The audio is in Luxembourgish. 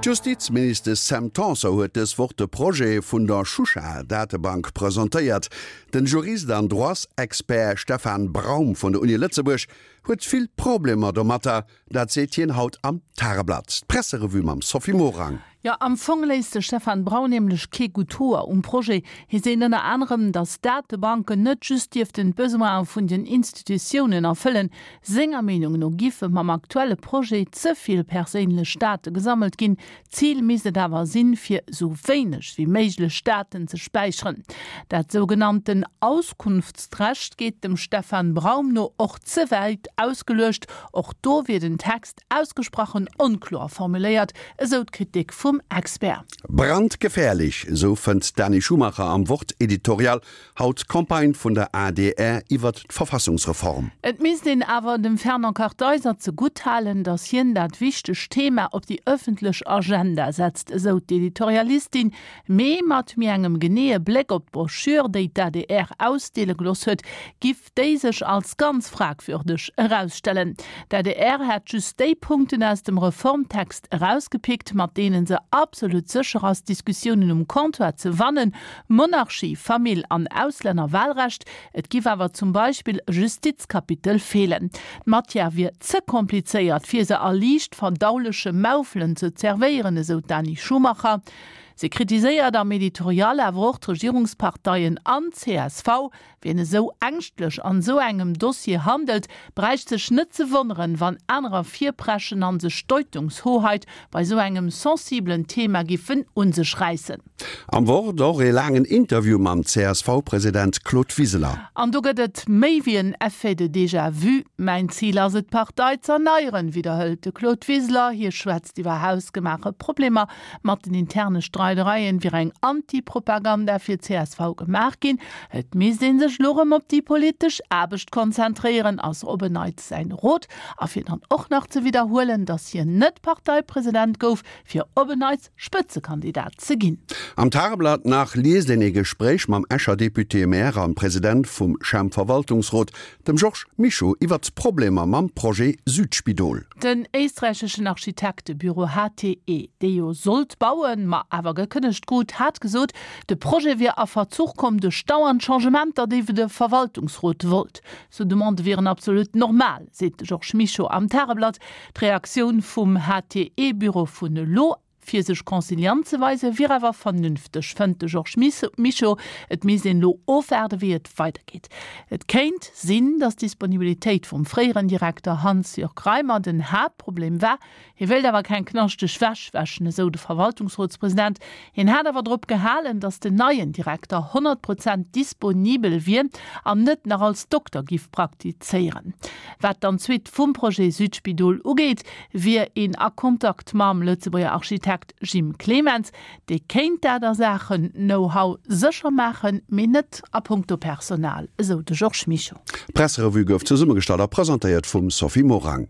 D'Justizministesch Sam Tanson huet dës Woch de Projet vun der Shusha-Datebank presentéiert. Den Jurist an Droitsexpert Stefan Braum vun der Uni Lëtzebuerg huet vill Problemer domatter. Dat seet hien haut am Tageblatt. D'Presserevue mam Sophie Morang. Jo, am Fong léisst de Stefan Braun nämlech kee gutt Hoer um Projet. Hie seet ënner anerem, datt d'Datebanken net just dierften d'Besoine vun den Institutiounen erfëllen. Senger Meenung no giffe mam aktuelle Projet ze vill perséinlech Date gesammelt ginn. D'Zil misst et awer sinn, fir esou wéineg wéi méiglech Daten ze späicheren. Dat sougenannten Auskunftsrecht geet dem Stefan Braum no och ze wäit ausgeluecht. Och do wier den Text ausgesprochen onkloer formuléiert, esou d'Kritik vum Expert. Brandgefährlich, esou fënnt d'Dani Schumacher am Wort-Editorial Haut d'Campagne vun der adr iwwert d'Verfassungsreform. Et misst een awer dem Fernand Kartheiser ze gutt halen, datt hien dat wichtegt Thema op déi ëffentlech Agenda setzt, esou d'Editorialistin. Mee mat méi engem geneeë Bléck op d'Broschür, déi d'ADR ausdeele gelooss huet, giff déi sech als ganz fragwürdeg erausstellen. D'adr hätt just déi Punkten aus dem Reformtext erausgepickt, mat deene se absolut sécher ass, d'Diskussiounen um Comptoir ze wannen, Monarchie, Famill an Auslännerwahlrecht. Et giff awer zum Beispill e Justizkapitel feelen. D'Matière wier ze komplizéiert, fir se a liicht verdauleche Maufelen ze zerwéieren, esou d'Dani Schumacher. Se kritiséiert am Editorial awer och d'Regierungsparteien an d'CSV, Wien esou ängschtlech an esou engem Dossier handelt, bräicht sech net ze wonneren, wann anerer virpreschen an sech d'Deutungshoheit bei esou engem sensibelen Thema giffen un sech räissen. Am Wort och ee laangen Interview mam CSV-President Claude Wiseler. An do gëtt et méi wéi en Effet de déjà vu. Mäin Zil ass et, d'Partei z'erneieren, widderhëlt de Claude Wiseler. Hie schwätzt iwwer hausgemaache Problemer Mat den interne Streidereien wier eng Anti-Propaganda fir csv gemaach ginn. Et misst ee sech elo rëm op déi politesch Aarbecht konzentréieren, ass op en Neits säin Rot. A fir dann och nach ze widderhuelen, datt hien net Parteipresident gouf, fir op en Neits Spëtzekandidat ze ginn. Am Tageblatt nach liest een ee Gespréich mam Escher Député-Maire an President vum Champ-Verwaltungsrot, dem Georges Mischo, iwwert d'Problemer mam Projet Südspidol. Den éisträicheschen Architektebüro HTE, dee jo sollt bauen, ma awer gekënnegt krut, hat gesot, de Projet wier a Verzuch komm duerch dauernd Changementer, déi de Verwaltungsrot wollt. Sou Demandë wieren absolut normal, seet de Georges Mischo am Tageblatt. D'Reaktioun vum HTE-Büro vun elo Fir sech conciliant ze weisen, wier awer vernünfteg, fënnt de Georges Mischo. Et misst een elo ofwaarden, wéi et weidergeet. Et kéint sinn, datt d'Disponibilitéit vum fréieren Direkter Hans-Jörg Reimer den Haaptproblem war. Hie wéilt awer keng knaschteg Wäsch wäschen, esou de Verwaltungsrotspresident. Hien hat awer drop gehalen, datt den neien Direkter 100 Prozent disponibel wier an net nach als Dokter giff praktizéieren. Wat dann d'Suite vum Projet Südspidol ugeet, wier een a Kontakt mam Lëtzebuerger Architekt Jim Clemens. Dee kéint dat a Saachen Know-how sécher maachen, mee net a punkto Personal, esou de Georges Mischo. D'Presserevue gouf zesummegestallt a presentéiert vum Sophie Morang.